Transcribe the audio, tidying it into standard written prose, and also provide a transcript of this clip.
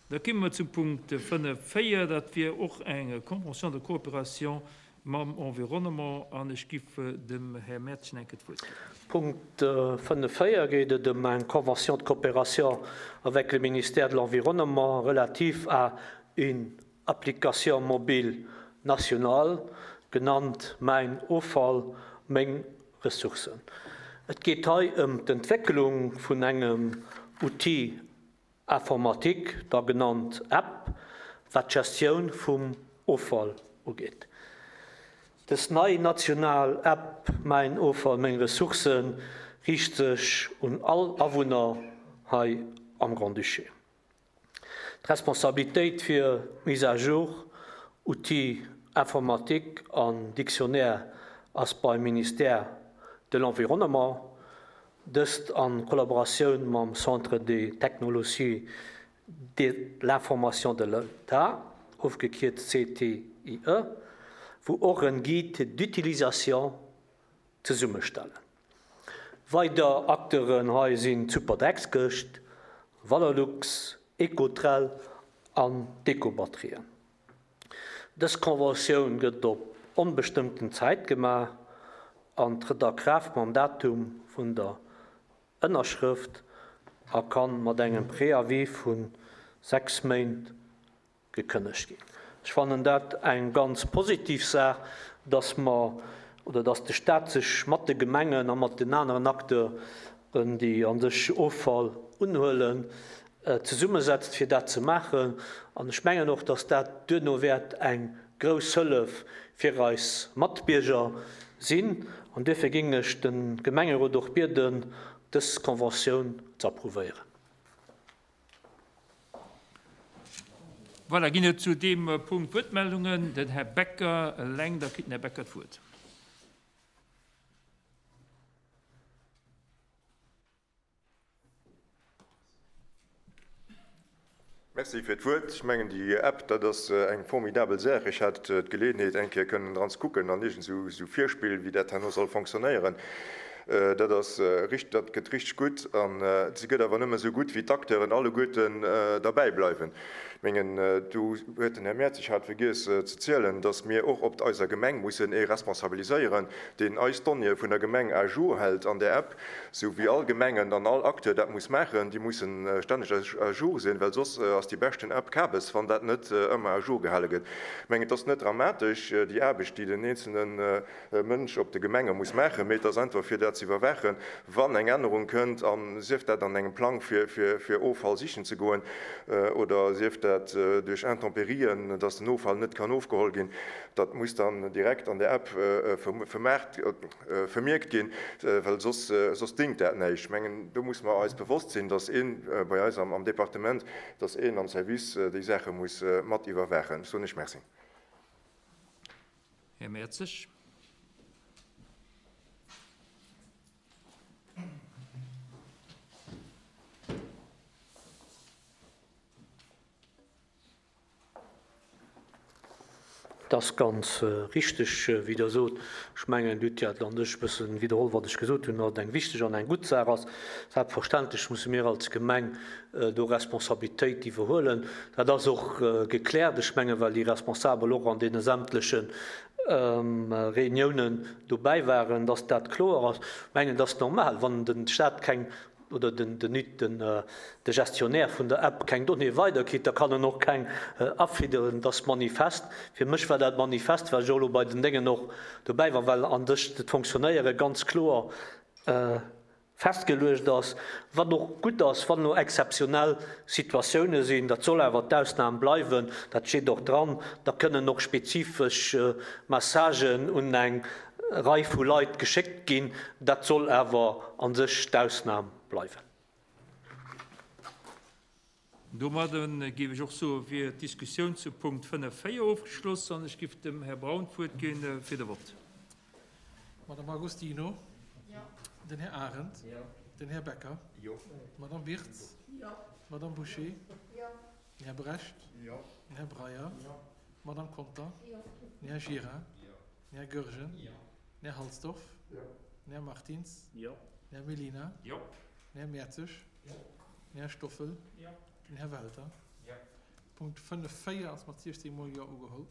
Da kimme mer zum Punkt 5, 4, dat wier och eng Convention de coopération mam Environnement an ech giff dem Här Mertgen eng Kéier d'Wuert ginn. Punkt 5, 4 geet et ëm eng Convention de coopération avec le ministère de l'Environnement relative à une application mobile nationale, genannt Mäin Offall, meng Ressourcen. Et geet hei ëm d'Entwécklung vun engem Outil informatique, da genannt App, wat d'Gestioun vum Offall ugeet. Dës nei national App Mäin Offall, meng Ressourcen riicht sech un all Awunner hei am Grand-Duché. D'Responsabilitéit fir d'Mise à jour, Outil informatique an Dictionnaire ass beim Ministère de l'Environnement, dëst a Kollaboratioun mam Centre des technologies de l'information de l'État, ofgekierzt CTIE, wou och en Guide d'utilisation zesummestellen. Weider Acteuren hei sinn d'Superdreckskëscht, Valorlux, Ecotrel an d'Ecobatterien. Dës Conventioun gëtt op onbestëmmten Zäit gemaach an trëtt a Kraaft mam Datum vun der Ënnerschrëft a kann mat engem Préavis vu 6 Méint gekënnegt ginn. Ech fannen dat eng ganz positiv Saach, dass mer, oder dass de Stat sech mat de Gemengen a mat den aneren Acteuren, déi a sech Offall unhuelen, zesummesetzt, fir dat ze maachen. An ech mengen och, dass dat duerno wäert eng grouss Hëllef fir eis Matbierger sinn. An duerfir géing ech de Gemengerot och bieden, dës Conventioun ze approuvéieren. Voilà, ginn et zu deem Punkt Wuertmeldungen? Den Här Becker eleng, da kritt den Här Becker d'Wuert. Merci fir d'Wuert. Ech mengen, déi App, dat ass eng formidabel Saach. Ech hat d'Geleeënheet, eng Kéier kënnen dran ze kucken an iergend esou Virspill, wéi dat herno soll fonctionnéieren. Dat ass richt, dat gëtt richteg gutt. An se gëtt awer nëmme esou gutt, wéi d'Acteuren alleguerten derbäi bleiwen. Mengen, do huet den Här Mertzig hat vergiess ze zielen, dass mir och op eiser Gemeng mussen ee responsabiliséieren, deen eis Donnéeë vun der Gemeng à jour hält an där App, sou wéi all Gemengen an all Acteur dat muss maachen. Déi mussen stänneg à jour sinn, well soss ass déi beschten App Kabes, wann dat net ëmmer à jour gehale gëtt. Mengen, et ass net dramatesch, déi Aarbecht, déi den eenzelne Mënsch op de Gemenge muss maachen, mee et ass einfach fir dat ze iwwerwaachen, wann eng Ännerung kënnt, a sief dat an engem Plang fir Offall sichen ze goen oder sief dat duerch Intempérien, dass den Offall net kann ofgeholl ginn, dat muss dann direkt an der App vermierkt ginn, well soss soss dingt dat näischt. Ech mengen, do muss mer eis bewosst sinn, dass ee bei eis am Departement, dass een am Service déi Saache muss mat iwwerwaachen. Ech soen lech Merci. Här Mertzig. Et ass ganz richteg, wéi Der sot. Ech mengen, Dir hutt jo an sech e bësse widderholl, wat ech gesot hunn, datt et eng wichteg an eng gutt Saach ass. Selbstverständlech musse mir als Gemeng do Responsabilitéit iwwerhuelen. Dat ass och gekläert, ech mengen, well déi Responsabel och an deene sämtleche Reuniounen dobäi waren, datt dat kloer ass. Ech mengen, et ass normal, wann de Stat keng oder den de Gestionnaire vun der App keng Donnéeë weiderkritt, da kann en och keng afidderen. Dat ass manifest. Fir mech war dat manifest, well ech och elo bei den Déngen och dobäi war, well an sech d'Fonctionnéiere ganz kloer festgeluecht ass, wat och gutt ass, wann elo exzeptionell Situatioune sinn, dat soll awer d'Ausnam bleiwen, dat steet och dran, da kënnen och spezifesch Messagen un eng Rei vu Leit geschéckt ginn. Dat soll awer a sech d'Ausnam bleiwen. Domadde géif ech och soen, wier d'Diskussioun zu Punkt 5, 4 ofgeschloss an ech géif dem Här Braun d'Wuert gi fir de Vott. D'Madame Agostino. Den Här Arendt. Den Här Becker. D'Madame Birtz. D'Madame Bouché. Den Här Brecht. Den Här Breyer. D'Madame Conter. Den Här Gira. Den Här Goergen. Den Här Halsdorf. Den Här Martins. Den Här Mellina. Den Här Mertzig. Den Här Stoffel. Den Här Welter. Punkt 5, 4 ass mat 16 mol Jo ugeholl.